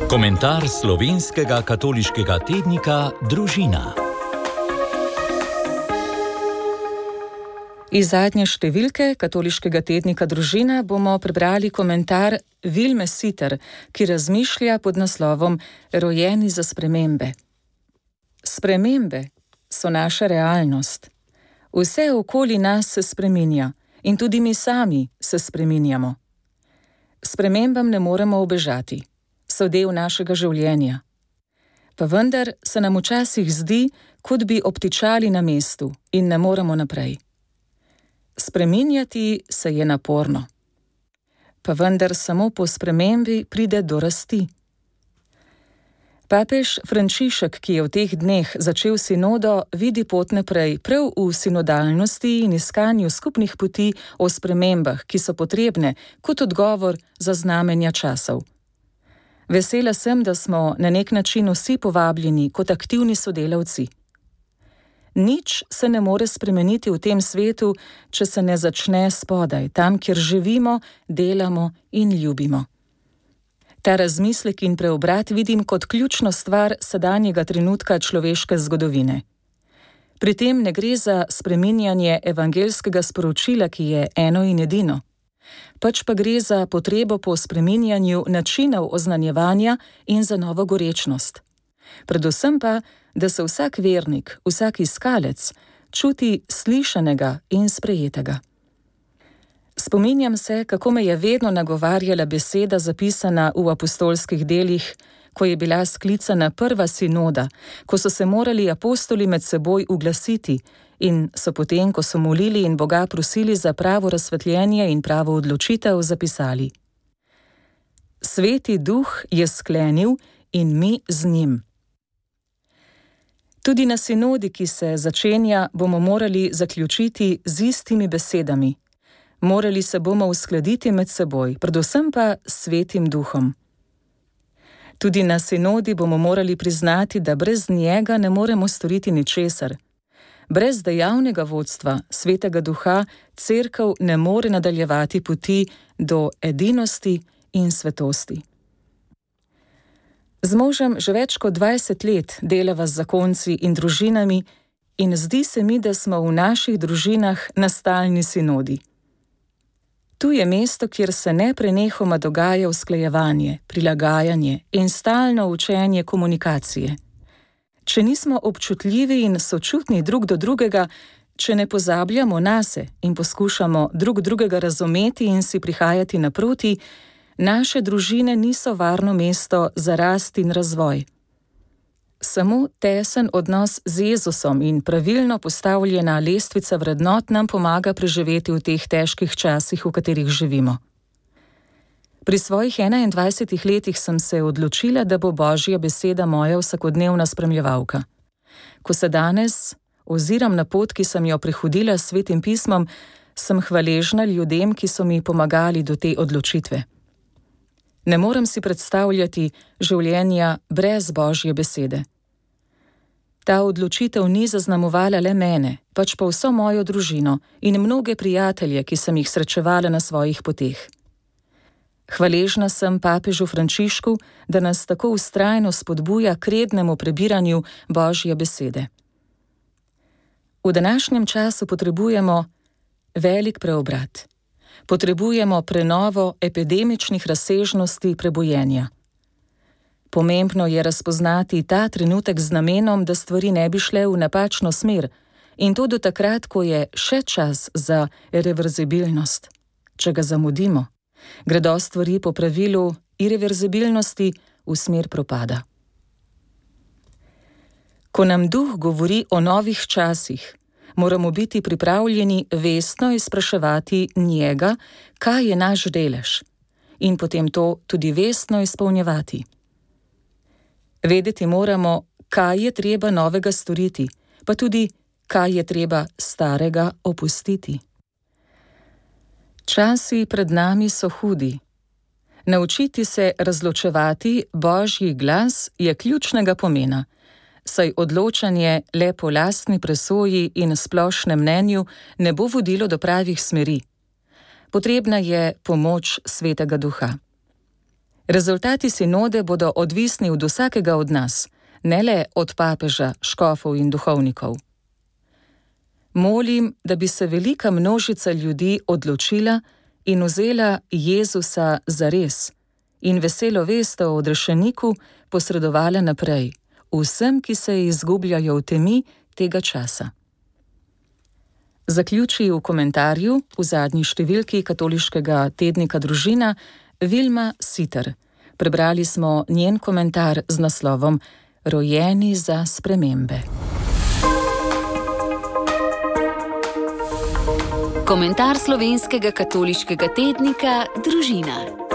Komentar slovenskega katoliškega tednika Družina. Iz zadnje številke katoliškega tednika Družina bomo prebrali komentar Vilme Siter, ki razmišlja pod naslovom Rojeni za spremembe. Spremembe so naša realnost. Vse okoli nas se spreminja in tudi mi sami se spreminjamo. Spremembam ne moremo ubežati. So del našega življenja. Pa vendar se nam včasih zdi, kot bi obtičali na mestu in ne moremo naprej. Spreminjati se je naporno. Pa vendar samo po spremembi pride do rasti. Papež Frančišek, ki je v teh dneh začel sinodo, vidi pot naprej prav v sinodalnosti in iskanju skupnih poti o spremembah, ki so potrebne kot odgovor za znamenja časov. Vesela sem, da smo na nek način vsi povabljeni kot aktivni sodelavci. Nič se ne more spremeniti v tem svetu, če se ne začne spodaj, tam, kjer živimo, delamo in ljubimo. Ta razmislek in preobrat vidim kot ključno stvar sedanjega trenutka človeške zgodovine. Pri tem ne gre za spreminjanje evangeljskega sporočila, ki je eno in edino. Pač pa gre za potrebo po spreminjanju načinov oznanjevanja in za novo gorečnost. Predvsem pa, da se vsak vernik, vsak iskalec čuti slišanega in sprejetega. Spominjam se, kako me je vedno nagovarjala beseda zapisana v apostolskih delih, ko je bila sklicana prva sinoda, ko so se morali apostoli med seboj uglasiti in so potem, ko so molili in Boga prosili za pravo razsvetljenje in pravo odločitev, zapisali: Sveti Duh je sklenil in mi z njim. Tudi na sinodi, ki se začenja, bomo morali zaključiti z istimi besedami. Morali se bomo uskladiti med seboj, predvsem pa s Svetim Duhom. Tudi na sinodi bomo morali priznati, da brez njega ne moremo storiti ničesar. Brez dejavnega vodstva Svetega Duha cerkev ne more nadaljevati poti do edinosti in svetosti. Z možem že več kot 20 let delava z zakonci in družinami in zdi se mi, da smo v naših družinah na stalni sinodi. Tu je mesto, kjer se neprenehoma dogaja usklajevanje, prilagajanje in stalno učenje komunikacije. Če nismo občutljivi in sočutni drug do drugega, če ne pozabljamo nase in poskušamo drug drugega razumeti in si prihajati naproti, naše družine niso varno mesto za rast in razvoj. Samo tesen odnos z Jezusom in pravilno postavljena lestvica vrednot nam pomaga preživeti v teh težkih časih, v katerih živimo. Pri svojih 21 letih sem se odločila, da bo Božja beseda moja vsakodnevna spremljevalka. Ko se danes oziram na pot, ki sem jo prehodila s Svetim pismom, sem hvaležna ljudem, ki so mi pomagali do te odločitve. Ne morem si predstavljati življenja brez Božje besede. Ta odločitev ni zaznamovala le mene, pač pa vso mojo družino in mnoge prijatelje, ki sem jih srečevala na svojih poteh. Hvaležna sem papežu Frančišku, da nas tako vztrajno spodbuja k rednemu prebiranju Božje besede. V današnjem času potrebujemo velik preobrat. Potrebujemo prenovo epidemičnih razsežnosti prebojenja. Pomembno je razpoznati ta trenutek z namenom, da stvari ne bi šle v napačno smer, in to do takrat, ko je še čas za irreverzibilnost. Če ga zamudimo, gredo stvari po pravilu irreverzibilnosti v smer propada. Ko nam Duh govori o novih časih, moramo biti pripravljeni vestno izpraševati njega, kaj je naš delež, in potem to tudi vestno izpolnjevati. Vedeti moramo, kaj je treba novega storiti, pa tudi, kaj je treba starega opustiti. Časi pred nami so hudi. Naučiti se razločevati Božji glas je ključnega pomena, saj odločanje le po lastni presoji in splošnem mnenju ne bo vodilo do pravih smeri. Potrebna je pomoč Svetega Duha. Rezultati sinode bodo odvisni od vsakega od nas, ne le od papeža, škofov in duhovnikov. Molim, da bi se velika množica ljudi odločila in vzela Jezusa zares in veselo vest o odrešeniku posredovala naprej vsem, ki se izgubljajo v temi tega časa. Zaključi v komentarju v zadnji številki katoliškega tednika Družina Vilma Siter. Prebrali smo njen komentar z naslovom Rojeni za spremembe. Komentar slovenskega katoliškega tednika Družina.